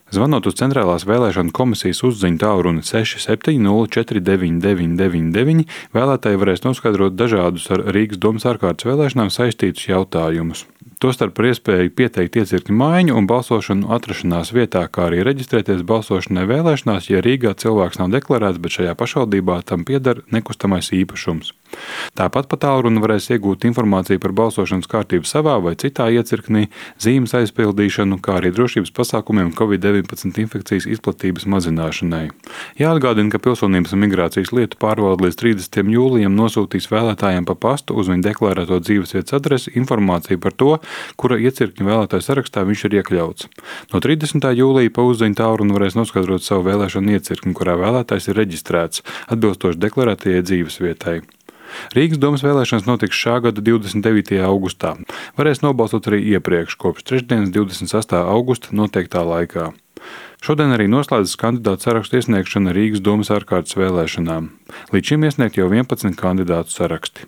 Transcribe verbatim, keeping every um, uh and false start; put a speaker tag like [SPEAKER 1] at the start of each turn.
[SPEAKER 1] Zvanot uz Centrālās vēlēšanu komisijas uzziņu tālruni seši septiņi nulle četri deviņi deviņi deviņi deviņi, vēlētāji varēs noskaidrot dažādus ar Rīgas domas ārkārtas vēlēšanām saistītus jautājumus. Tostarp par iespēju pieteikt iecirkņu maiņu un balsošanu atrašanās vietā, kā arī reģistrēties balsošanai vēlēšanās, ja Rīgā cilvēks nav deklarēts, bet šajā pašvaldībā tam pieder nekustamais īpašums. Tāpat pa tālruni varēs iegūt informāciju par balsošanas kārtību savā vai citā iecirknī, zīmes aizpildīšanu, kā arī drošības pasākumiem covid deviņpadsmit infekcijas izplatības mazināšanai. Jāatgādina, ka Pilsonības un migrācijas lietu pārvalde līdz trīsdesmitajam jūlijam nosūtīs vēlētājiem pa pastu uz viņu deklarēto dzīvesvietas adresi informāciju par to, kura iecirkņa vēlētāju sarakstā viņš ir iekļauts. No trīsdesmitā jūlija pa uzziņu tālruni varēs noskaidrot savu vēlēšanu iecirkni, kurā vēlētājs ir reģistrēts, atbilstoši deklarētajai dzīvesvietai. Rīgas domas vēlēšanas notiks šā gada divdesmit devītajā augustā. Varēs nobalsot arī iepriekš, kopš trešdienas divdesmit sestā augusta noteiktā laikā. Šodien arī noslēdzas kandidātu sarakstu iesniegšana Rīgas domas ārkārtas vēlēšanām. Līdz šim iesniegt jau vienpadsmit kandidātu saraksti.